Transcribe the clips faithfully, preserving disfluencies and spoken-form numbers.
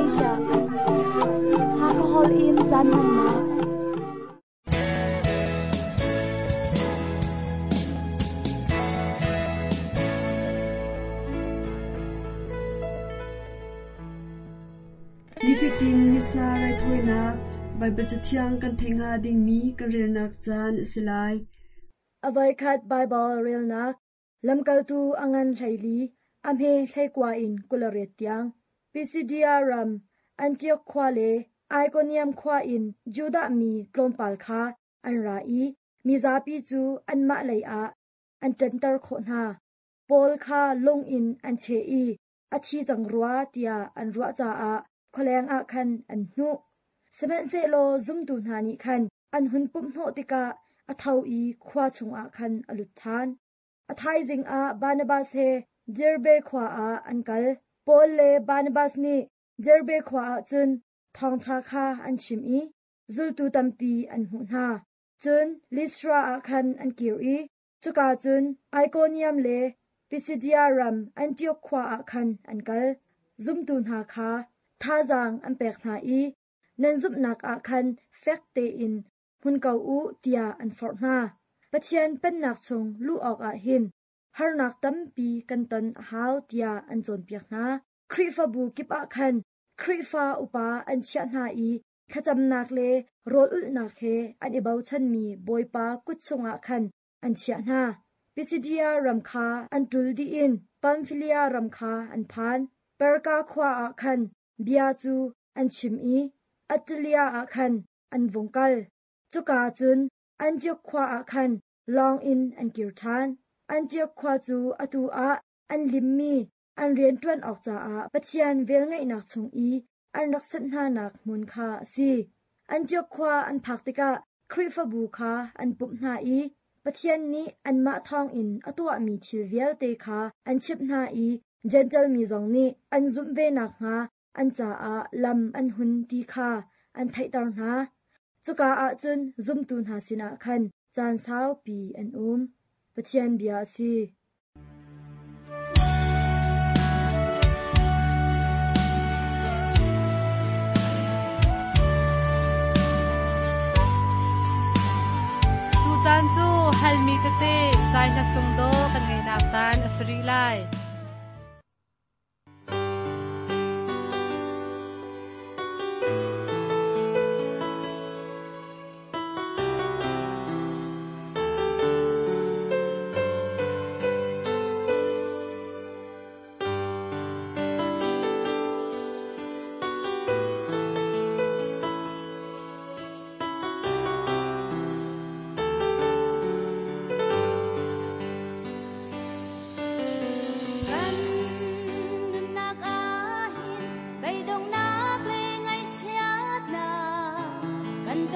Malaysia. Hakahol in caan hmannak. Nifatin Missa raithawinak Baibal Cathiang kan theih hnga dingmi kan relnak caan a si lai. A voikhat Baibal relnak lamkaltu a ngan hleili a hme hleikua in kul le riat tiang. Pisidia ram Antioch khua le Ikonium khua in Judah mi tlawmpal kha an ra i mizapi cu anmah lei ah an ṭanter khawh hna. Paul kha lung in an cheh i a thi cang rua tiah an ruah caah khualeng ah khan an hnuh. Sihmanhsehlaw zumtu hna nih khan an hun pumhhnawh tikah a tho i khua chungah khan a lut ṭhan. A thaizing ah Barnabas he Derbe khua ah an kal. Paul le Barnabas nih Derbe khua ah cun thawngṭha kha an chim i zultu tampi an hmuh hna. Cun Lystra ah khan an kir i cuka cun Ikonium le Pisidia ram Antioch khua ah khan an kal. Zumtu hna kha thazaang an pek hna i nan zumhnak ah khan fek tein hmun ko u tiah an forh hna. Pathian pennak chung luh awkah hin harnak tampi kan ton a hau tiah an cawnpiak hna. Khrihfabu kip ah khan Khrihfa upa an chiah hna i thlacamnak le rawl ulhnak he an i bochanmi Bawipa kut chungah khan an chiah hna. Pisidia ram kha an ṭul dih in Pamfilia ram kha an phan. Perga khua ah khan bia cu an chim i Attalia ah khan an vung kal. Cuka cun Antioch khua ah khan lawng in an kir ṭhan. Antioch khua cu atu ah an limmi an rianṭuan awk caah Pathian velngeihnak chung i an rak sanh hnanak hmun kha a si. Antioch khua an phak tikah Khrihfabu kha an pumh hna i Pathian nih anmah thawngin a tuahmi thil vialte kha an chimh hna i Jentail mi zong nih an zumh ve nakhnga an caah lam an hun ti kha an theihter hna. Cuka ah cun zumtu hna sinah khan caan saupi an um. Pathian bia a si. Tu caan cu halmi tete zai hla sung do kan ngeinak caan a si rih lai. Kan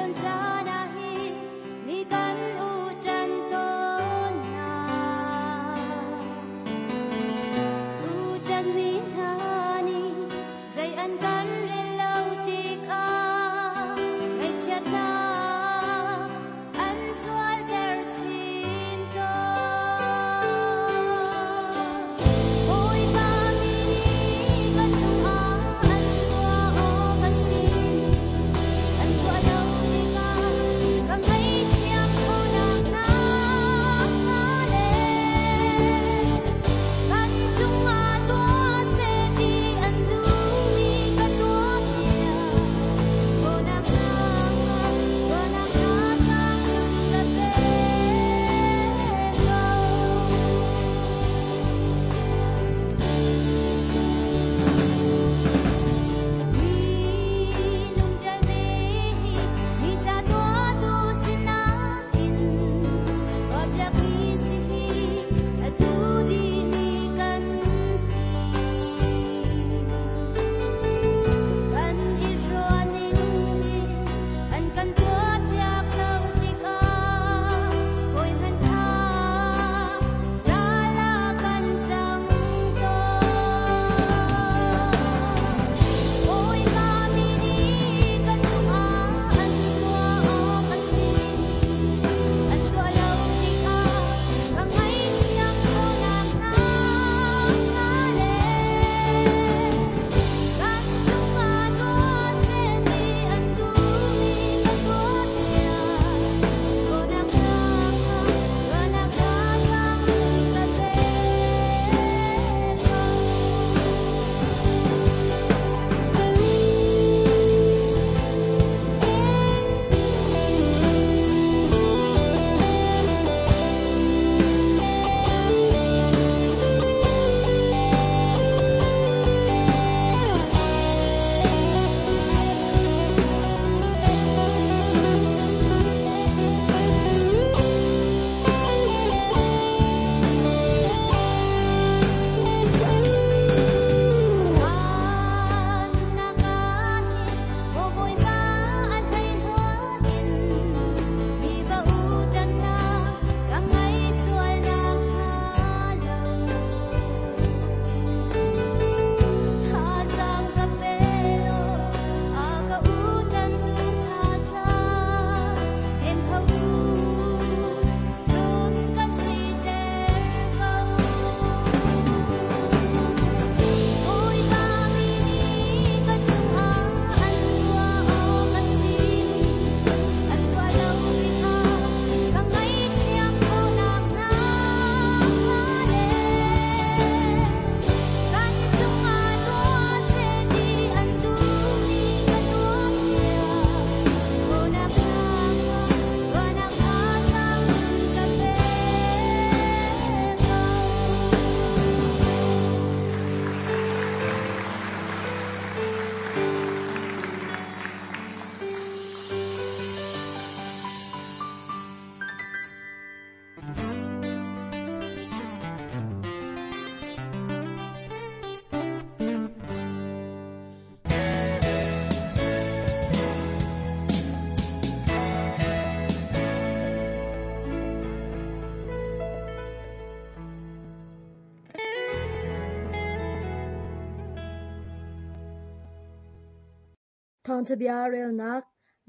Thawngṭha bia relnak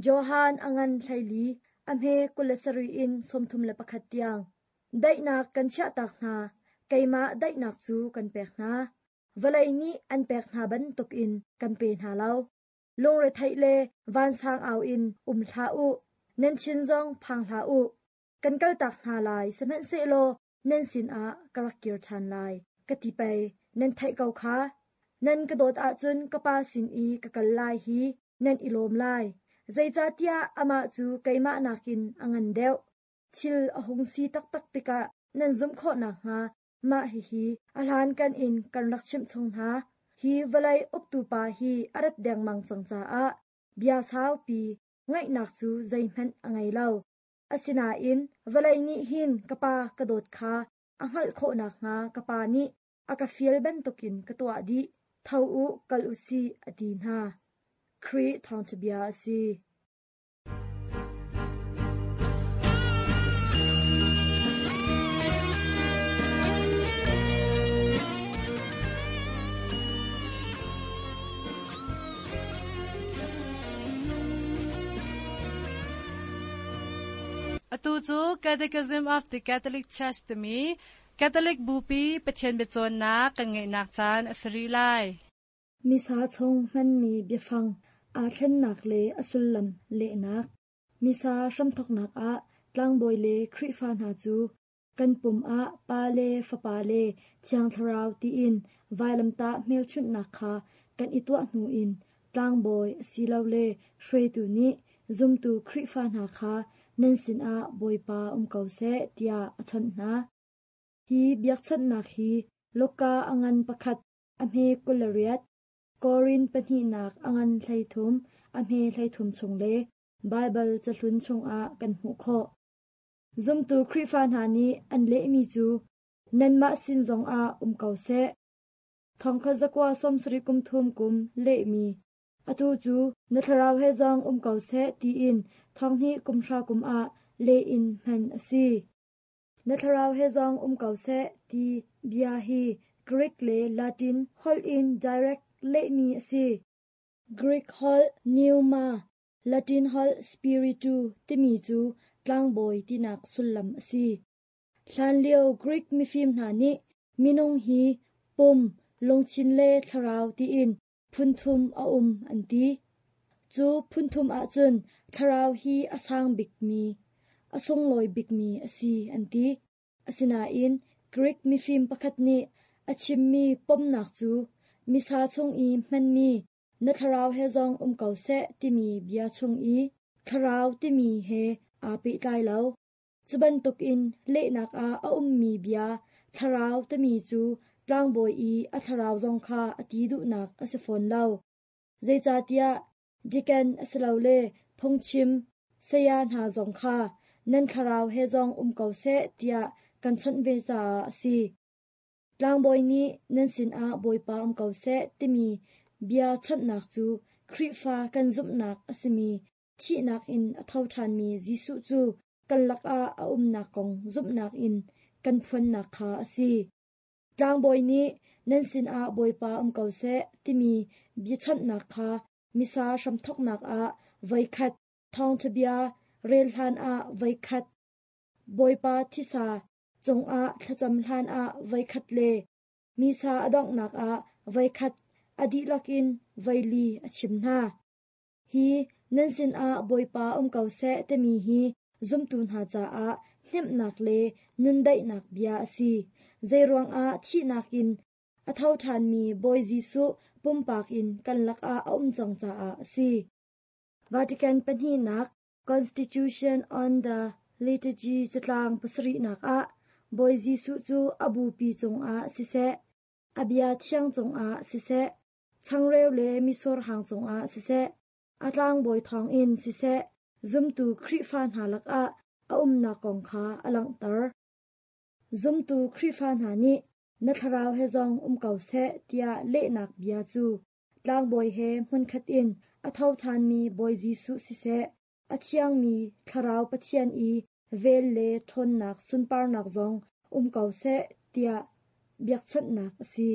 Johan a ngan hleili, a hme kul le sarih in sawmthum le pakhat tiang. Daihnak kan chiahtak hna, keimah daihnak cu kan pek hna. Vawlei nih an pek hna bantukin kan pe hna lo. Lungretheih le vansang au in um hlah u, nan thin zong phang hlah u. Kan kaltak hna lai, sihmanhsehlaw nan sinah ka rak kir ṭhan lai, ka ti pei, nan theih ko kha. Nan ka dawt ahcun ka Pa sin i ka kal lai hi nan i lawm lai. Zeicahtiah amah cu keimah nakin a ngan deuh. Thil a hung si taktak tikah nan zumh khawh nakhnga mah hihi a hlankan in kan rak chimh chung hna. Hi vawlei uktu pa hi a rat dengmang cang caah bia saupi ngaihnak cu zeihmanh a ngei lo. Asinain vawlei nih hin ka Pa ka dawt kha a hngalh khawh nakhnga ka Pa nih a ka fial bantukin ka tuah dih. Tho u, kal u sih, a ti hna. Khrih thawngṭha bia a si. Atu cu Catechism of the Catholic Church timi Catholic Bupi Pathian biacawnnak kan ngeihnak caan a si rih lai. Misa chung hmanmi biafang aa thlennak le a sullam lehnak. Misa hramthawknak ah tlangbawi le Khrihfa hna cu kan pum ah Pa le Fapa le Thiang Thlarau tiin vailamtah hmelchunhnak kha kan i tuah hnu in tlangbawi asilole hruaitu nih zumtu Khrihfa hna kha nan sinah Bawipa um ko seh tiah a chawnh hna. Hi biakchawnhnak hi Luka a ngan pakhat a hme kul le riat, Korin pahnihnak a ngan hleithum a hme hleithum chung le Baibal cahlun chungah kan hmuh khawh. Zumtu Khrihfa hna nih an lehmi cu nanmah sin zongah um ko seh. Thongkhat zakua sawmsarih kum thum kum lehmi atu cu na thlarau he zong um ko seh tiin thonghnih kum hra kum ah leh in hman a si. Na thlarau he zong um ko seh ti bia hi Greek le Latin holh in direct lehmi a si. Greek holh pneuma, Latin holh spiritu timi cu tlangbawi tinak sullam a si. Hlanlio Greek mifim hna nih minung hi pum, lungthin le thlarau tiin phunthum a um an ti. Cu phunthum ahcun thlarau hi a sang bikmi, a sunglawi bikmi a si an ti. Asinain Greek mifim pakhat nih a chimmi pomnak cu misa chung i hmanmi na thlarau he zong um ko seh timi bia chung i thlarau timi he aa pehtlai lo. Cu bantukin lehnak ah a ummi bia thlarau timi cu tlangbawi i a thlarau zong kha a ti duhnak a si fawn lo. Zeicahtiah deacon asilole phungchim saya hna zong kha nan thlarau he zong um ko seh tiah kan chawnh ve caah a si. Tlangbawi nih nan sinah Bawipa um ko seh timi bia chawnhnak cu Khrihfa kan zumhnak a simi thihnak in a tho ṭhanmi Jesuh cu kan lakah a umnak kong zumhnak in kan phuannak kha a si. Tlangbawi nih nan sinah Bawipa um ko seh timi biachawnhnak kha misa hramthawknak ah voikhat, thawngṭha bia rel hlan ah voikhat, Bawipa thisa cungah thlacam hlan ah voikhat le misa a donghnak ah voikhat a dihlak in voili a chim hna. Hi nan sinah Bawipa um ko seh timi hi zumtu hna caah hnemhnak le nundaihnak bia a si. Zeiruangah thihnak in a tho ṭhanmi Bawi Jesuh pumpak in kan lakah a um cang caah a si. Vatican pahnihnak Constitution on the Liturgy catlang pasarihnak ah Bawi Jesuh cu a bupi cungah siseh, a bia thiang cungah siseh, changreu le misur hang cungah siseh, a tlangbawi thawngin siseh, zumtu Khrihfa hna lakah a umnak kong kha a langhter. Zumtu Khrihfa hna nih na thlarau he zong um ko seh tiah lehnak bia cu tlangbawi he hmunkhat in a tho ṭhanmi Bawi Jesuh siseh, a thiangmi thlarau Pathian i vel le ṭhawnnak sunparnak zong um ko seh tiah biakchawnhnak a si.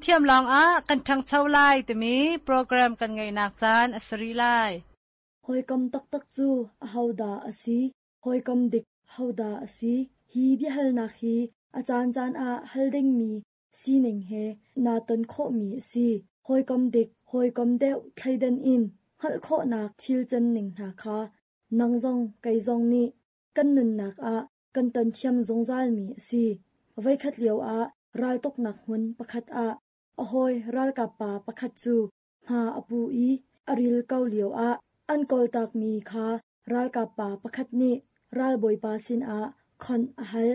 Fimthiam lawngah kan ṭhangcho lai timi program kan ngeihnak caan a si rih lai. Hawikom taktak cu ahodah a si? Hawikom dik hodah a si? Hi biahalnak hi a caancaan ah hal dingmi sining he naa ton khawhmi a si. Hawikom dik, hawikom deuh thleidan in hngalh khawhnak thil canning hna kha nang zong kei zong nih kan nunnak ah kan ton thiam zungzalmi a si. Voikhat lioah raltuknak hmun pakhat ah a hawi ralkap pa pakhat cu hma a pu i a ril ko lioah an kawltakmi kha ralkap pa pakhat nih ralbawipa sinah khonh a hal.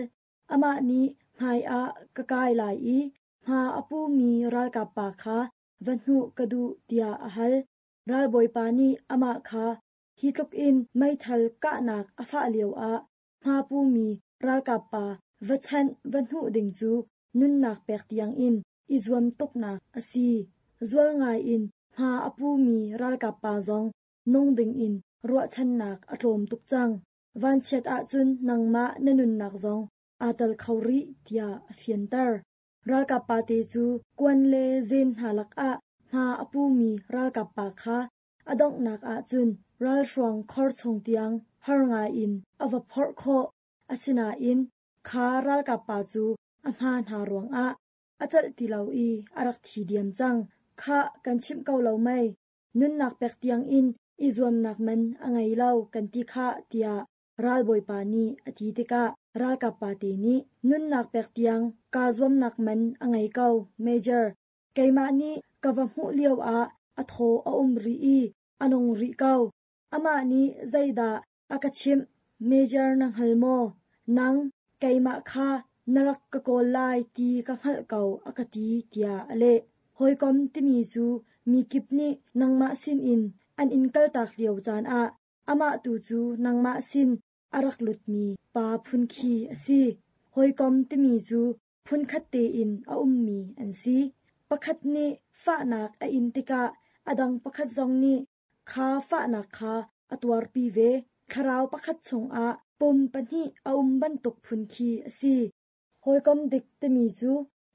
Amah nih hmaiah ka kai lai i hma a pumi ralkap pa kha va hnuh ka duh tiah a hal. Ralbawipa nih amah kha hi tluk in meithal kahnak a fah lioah hma pumi ralkap pa va chanh va hnuh ding cu nunnak pek tiangin i zuam tuknak a si. Zual ngaiin hma a pumi ralkap pa zong nung dingin ruahchannak a tlawm tuk cang. Vanchiat ahcun nangmah na nunnak zong aa tel kho rih tiah a fianter. Ralkap pa te cu kuan le zen hna lakah hma a pumi ralkap pa kha a donghnak ahcun ralhruang khor chung tiang har ngaiin a va phorh khawh. Asinain kha ralkap pa cu a hma hna ruangah a celh ti lo i a rak thi diam cang. Khah kan chimh ko lo mei. Nunnak pek tiangin i zuamnak man a ngei lo kan ti khah tiah ralbawipa nih a ti tikah ralkap pa te nih nunnak pek tiang kaa zuamnak man a ngei ko, Major. Keimah nih ka va hmuh lioah a thaw a um rih i a nung rih ko. Amah nih zeidah a ka chimh, Major na hngal maw? Nang keimah kha na rak ka kawl lai ti ka hngalh ko a ka ti tiah a leh. Hawikom timi cu mi kip nih nangmah sinin an in kaltak lio caan ah amah tu cu nangmah sin a rak lutmi pa phun khi a si. Hawikom timi cu phunkhat tein a ummi an si. Pakhat nih fahnak a in tikah a dang pakhat zong nih kha fahnak kha a tuarpi ve. Thlarau pakhat chungah pum pahnih a um bantuk phun khi a si. Hawikom dik timi cu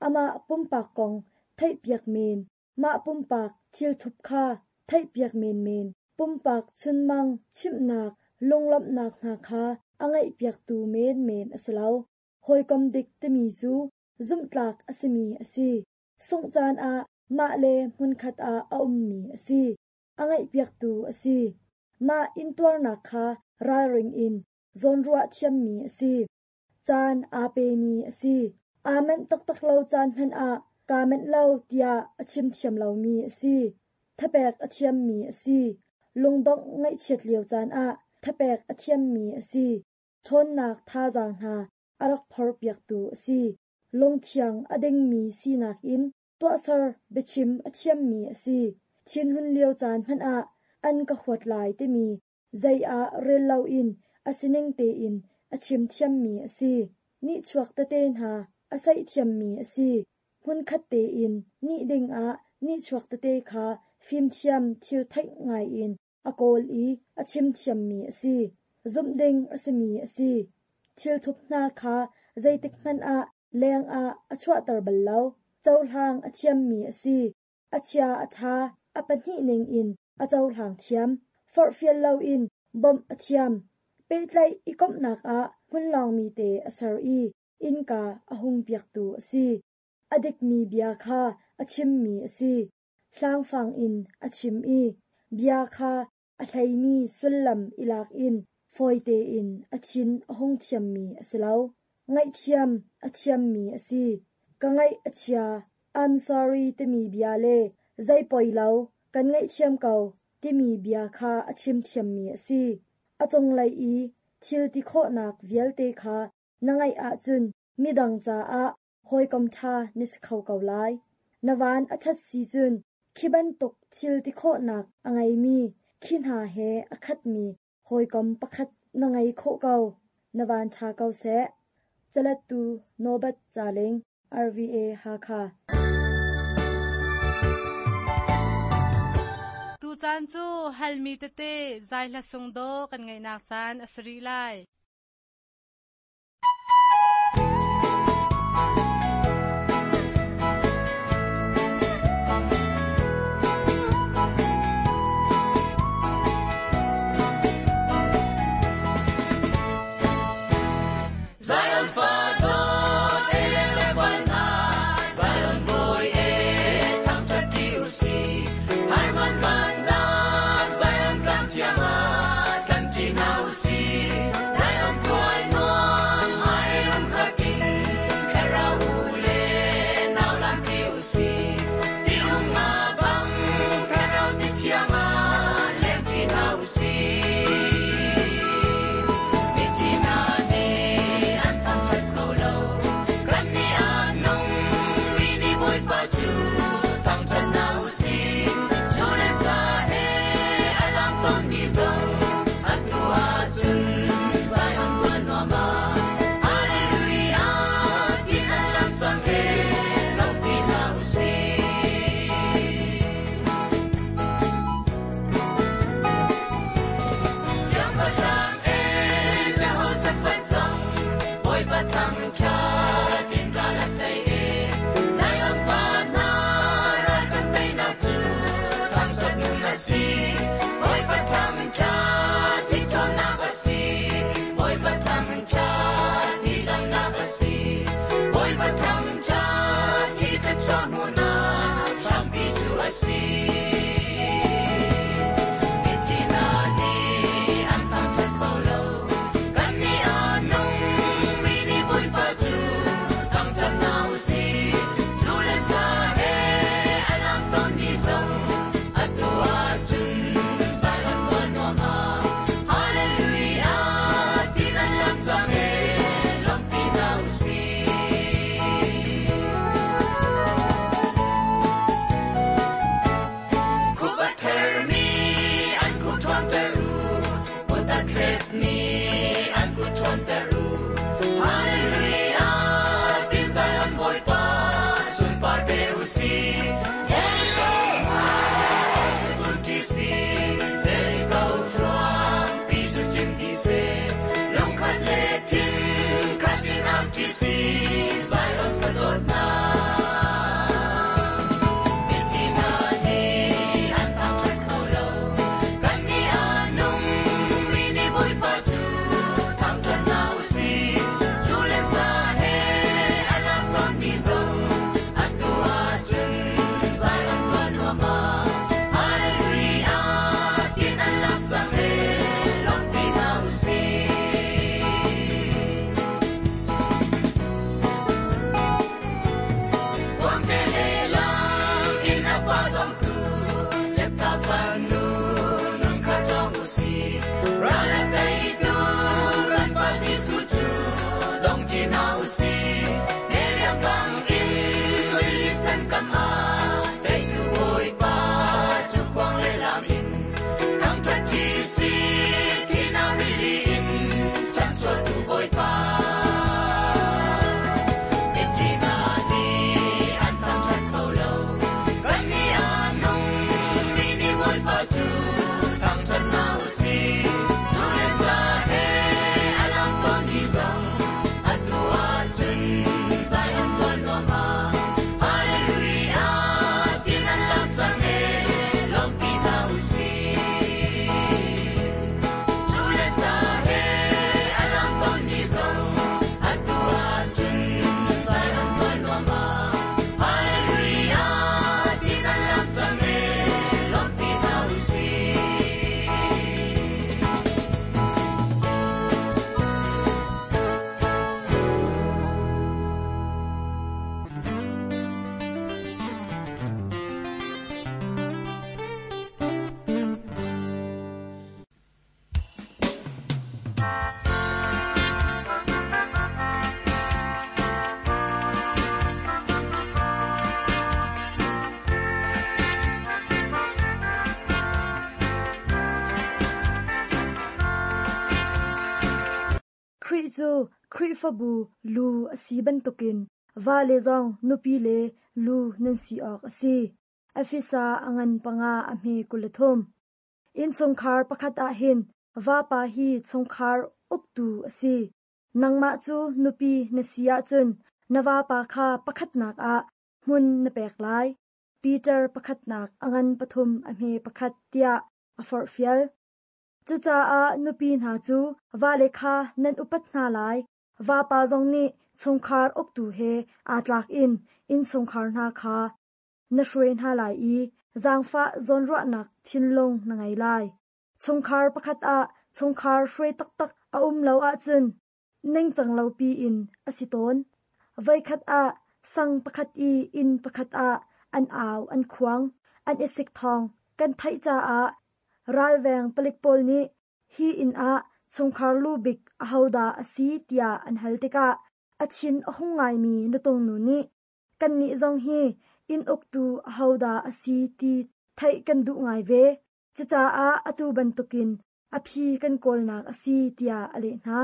amah pumpak kong theihpiak men, mah pumpak thilthup kha theihpiak menmen, pumpak chunmang chimhnak lunglawmhnak hna kha a ngaihpiaktu menmen a si lo. Hawikom dik timi cu zumhtlak a simi a si. Sungh caan ah mah le hmunkhat ah a ummi a si. A ngaihpiaktu a si. Mah intuarnak kha ralring in zawnruah thiammi a si. Caan aa pemi a si. Aa manh taktak lo caan hmanh ah kaa manh lo tiah a chim thiam lomi a si. Thapek a thiammi a si. Lungdongh ngaihchiat lio caan ah thapek a thiammi a si. Ṭhawnnak thazaang hna a rak phorpiaktu a si. Lungthiang a dingmi sinak in tuahser biachim a thiammi a si. Thinhun lio caan hmanh ah an ka huat lai timi zei ah rel loin a sining tein a chim thiammi a si. Nihchuak tete hna a saih thiammi a si. Hmunkhat tein nih dingah nihchuak tete kha fimthiam thil theih ngaiin a kawl i a chim thiammi a si. Zumh ding a simi a si. Thilthup hna kha zeitik hmanh ah leng ah a chuahter bal lo. Cohlang a thiammi a si. A chia a ṭha a pahnih ningin a cohlang thiam. Forhfial loin bawmh a thiam. Pehtlaih i komhnak ah hmunlawngmi te a ser i innka a hung piaktu a si. A dikmi bia kha a chimmi a si. Hlangfang in a chim i bia kha a hleimi sullam i lak in fawi tein a thin a hung thiammi a si lo. Ngaihthiam a thiammi a si. Ka ngaih a chia, I'm sorry timi bia le zei poi lo, kan ngaihthiam ko timi bia kha a chim thiammi a si. A cunglei i thil ti khawhnak vialte kha na ngaih ahcun midang caah hawikom ṭha na si kho ko lai. Na van a ṭhat si cun khi bantuk thil ti khawhnak a ngeimi khi hna he a khatmi hawikom pakhat na ngei khawh ko. Na van ṭha ko seh. Calettu Nobat Caling, R V A Hakha. Tucaan cu halmi tete zai hla sung daw kan ngaihnak caan a si rih lai. Pa dongtu Jepta fanu nun kha cawng usih ral a teitu kan Pa Jesuh cu dong ṭi hna usih Miriam bangin rili sen kam ah teitu Bawipa cu khuang le lam in thangṭhat ṭi sih thihnak rili in chanchuahtu Bawipa. Mithi hna nih an thangṭhat kho lo kannih a nung mi nih Bawipa cu thangṭhat hna usih zu le sa he a lang tawnmi zong atu ahcun Zion tual nuam ah Hallelujah tin an lam cang ee lawmpi hna usih. Zu le sa he a lang tawnmi zong atu ahcun Zion tual nuam ah Hallelujah tin an lam cang ee lawmpi hna usih. Khrih cu Khrihfabu lu a si bantukin vale zong nupi le lu nan si awk a si. Efesa a ngan panga a hme kul le thum. Innchungkhar pakhat ah hin vapa hi chungkhar uktu a si. Nangmah cu nupi na si ahcun na vapa kha pakhatnak ah hmun na pek lai. Peter pakhatnak a ngan pathum a hme pakhat tiah a forhfial. Cucaah nupi hna cu vale kha nan upat hna lai. Vapa zong nih chungkhar uktu he aa tlak in innchungkhar hna kha na hruai hna lai i zaangfah zawnruahnak thinlung na ngei lai. Chungkhar pakhat ah chungkhar hruai taktak a um lo ahcun ningcang lopi in a si tawn. Voikhat ah sang pakhat i inn pakhat ah an au an khuang, an i sik thawng kan theih caah ralveng palik pawl nih hi inn ah chungkhar lu bik ahodah a si tiah an hal tikah a thin a hung ngaimi nutung nu nih kannih zong hi inn uktu ahodah a si ti theih kan duh ngai ve. Cucaah atu bantukin a phi kan kawlnak a si tiah a leh hna.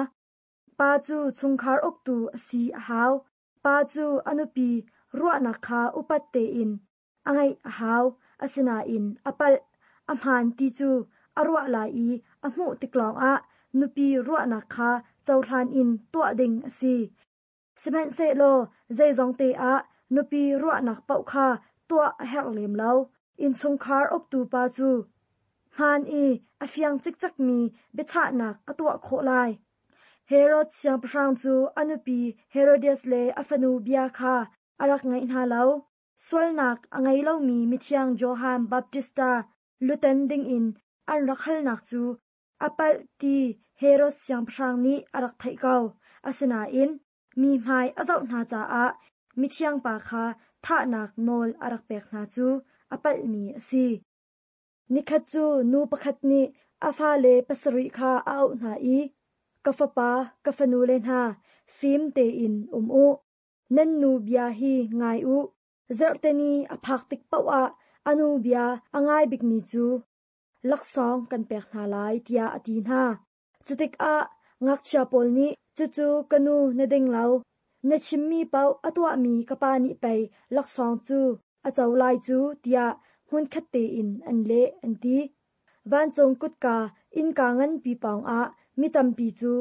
Pa cu chungkhar uktu a si a hau. Pa cu a nupi ruahnak kha upat tein a ngaih a hau. Asinain a palh, a hmaan ti cu a ruah lai i a hmuh tik lawngah nupi ruahnak kha cohlan in tuah ding a si. Sihmanhsehlaw zeizong te ah nupi ruahnak paoh kha tuah a herh lem lo. Innchungkhar uktu pa cu hmaan i a fiang cikcekmi biachahnak a tuah khawh lai. Herod siangpahrang cu a nupi Herodias le a fanu bia kha a rak ngaih hna lo. Sualnak a ngei lomi mithiang Johan Baptista lutan dingin an rak halnak cu a palh ti Herod siangpahrang nih a rak theih ko. Asinain mi hmai a zoh hna caah mithiang pa kha thahnak nawl a rak pek hna cu a palhmi a si. Nikhat cu nu pakhat nih a fale pasarih kha a auh hna i, Ka fapa, ka fanu le hna, fim tein um u. Nan nu bia hi ngai u. Zarhteni a phak tik paoh ah a nu bia a ngai bikmi cu laksawng kan pek hna lai tiah a ti hna. Cutikah ngakchia pawl nih cucu ka nu na ding lo. Na chimmi paoh a tuahmi ka pa nih pei laksawng cu a co lai cu tiah hmunkhat tein an leh an ti. Vancung kutka innka nganpi pawngah mi tampi cu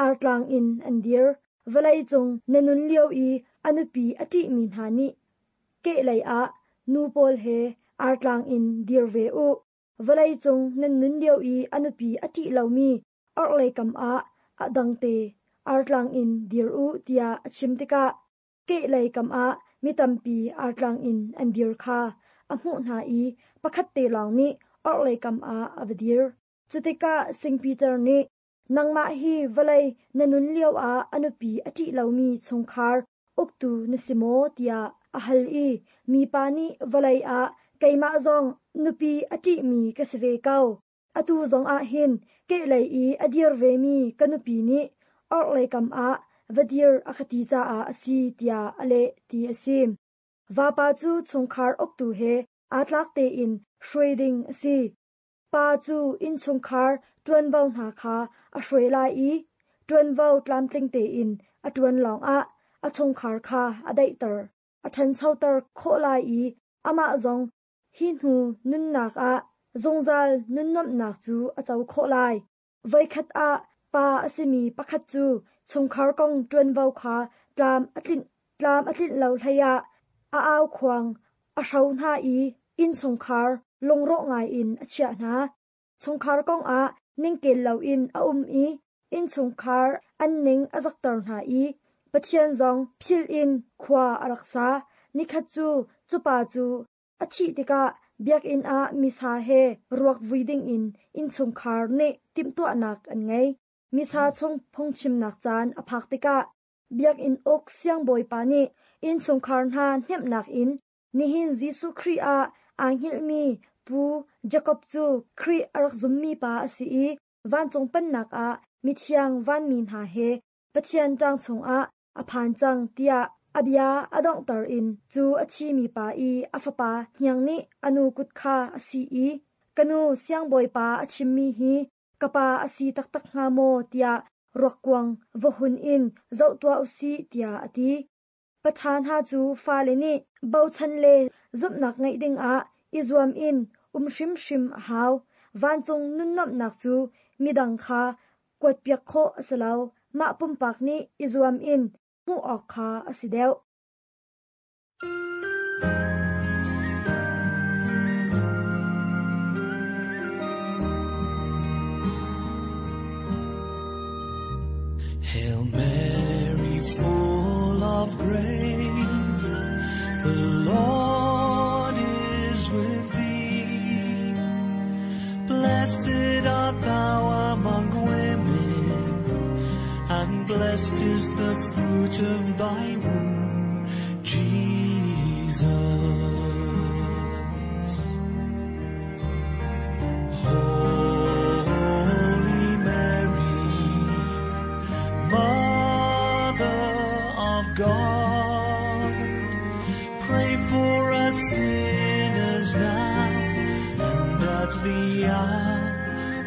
artlang in an dir. Vawlei cung na nun lio i a nupi a ṭihmi hna nih kehlei ah nu pawl he artlang in dir ve u. Vawlei cung nan nun lio i a nupi a ṭih lomi orhlei kam ah a dangte artlang in dir u tiah a chim tikah kehlei kam ah mi tampi artlang in an dir kha a hmuh hna i pakhat te lawng nih orhlei kam ah a va dir. Cutikah Saint Peter nih nangmah hi vawlei na nun lio ah a nupi a ṭih lomi chungkhar uktu na si maw tiah a hal i mipa nih vawlei ah Keimah zong nupi a ṭihmi ka si ve ko. Atu zong ah hin kehlei i a dir vemi ka nupi nih orhlei kam ah va dir a ka ti caah a si tiah a leh ti a si. Vapa cu chungkhar uktu he aa tlak tein hruai ding a si. Pa cu innchungkhar ṭuanvo hna kha a hruai lai i ṭuanvo tlamtling tein a ṭuan lawngah a chungkhar kha a daihter, a ṭhanchoter khawh lai i amah zong hi hnu nunnak ah zungzal nunnuamhnak cu a co khawh lai. Voikhat ah pa a simi pakhat cu chungkhar kong ṭuanvo kha tlam a tlinh, tlam a tlinh lo hleiah a aukhuang a hro hna i innchungkhar lungrawh ngaiin a chiah hna. Chungkhar kongah ningkel loin a um i innchungkhar an ning a zakter hna i Pathian zong philh in khua a rak sa. Nikhat cu cupa cu a thih tikah biakinn ah misa he ruak vui dingin innchungkhar nih timhtuahnak an ngei. Misa chung phungchimnak caan a phak tikah biakinn uk siangbawipa nih innchungkhar hna hnemhnak in nihin Jesuh Khrih ah aa hngilhmi Pu Jakob cu Khrih a rak zummi pa a si i vancung pennak ah mithiang vanmi hna he Pathian ṭang chungah a phan cang tiah a bia a donghter in cu a thimi pa i a fapa hniang nih a nu kut kha a si i ka nu siangbawipa a chimmi hi ka pa a si taktak hnga maw tiah ruakkuang va hun in zoh tuah u sih tiah a ti. Paṭha hna cu fale nih bochan le zumhnak ngeih dingah i zuam in um hrimhrim a hau. Vancung nunnuamhnak cu midang kha kuatpiak khawh a si lo. Mah pumpak nih i zuam in hmuh awk kha a si deuh. Hail Mary, full of grace, the Lord is with thee. Blessed art thou among women, and blessed is the fruit of thy womb, Jesus. Holy Mary, Mother of God, pray for us sinners now and at the hour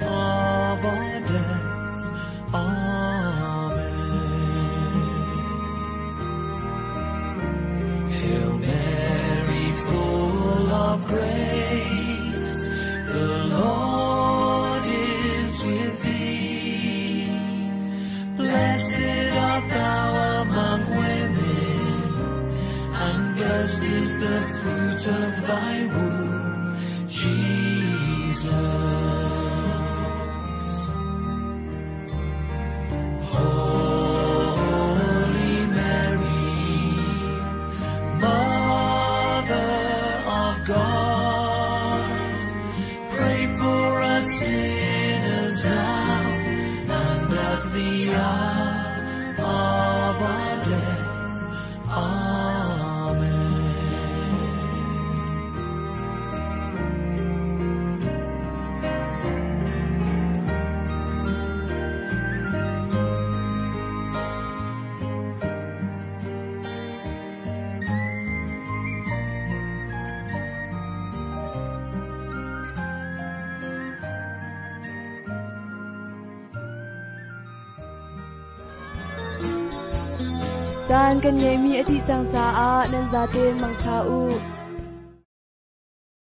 of our death. Amen. Hail Mary, full of grace, the Lord is with thee. Blessed art thou among women, and blessed is the fruit of thy womb, Jesus. Holy Mary, Mother of God, pray for us sinners now and at the hour of our death. Amen. Caan kan ngeihmi a dih cang caah nan zaten mangṭha u.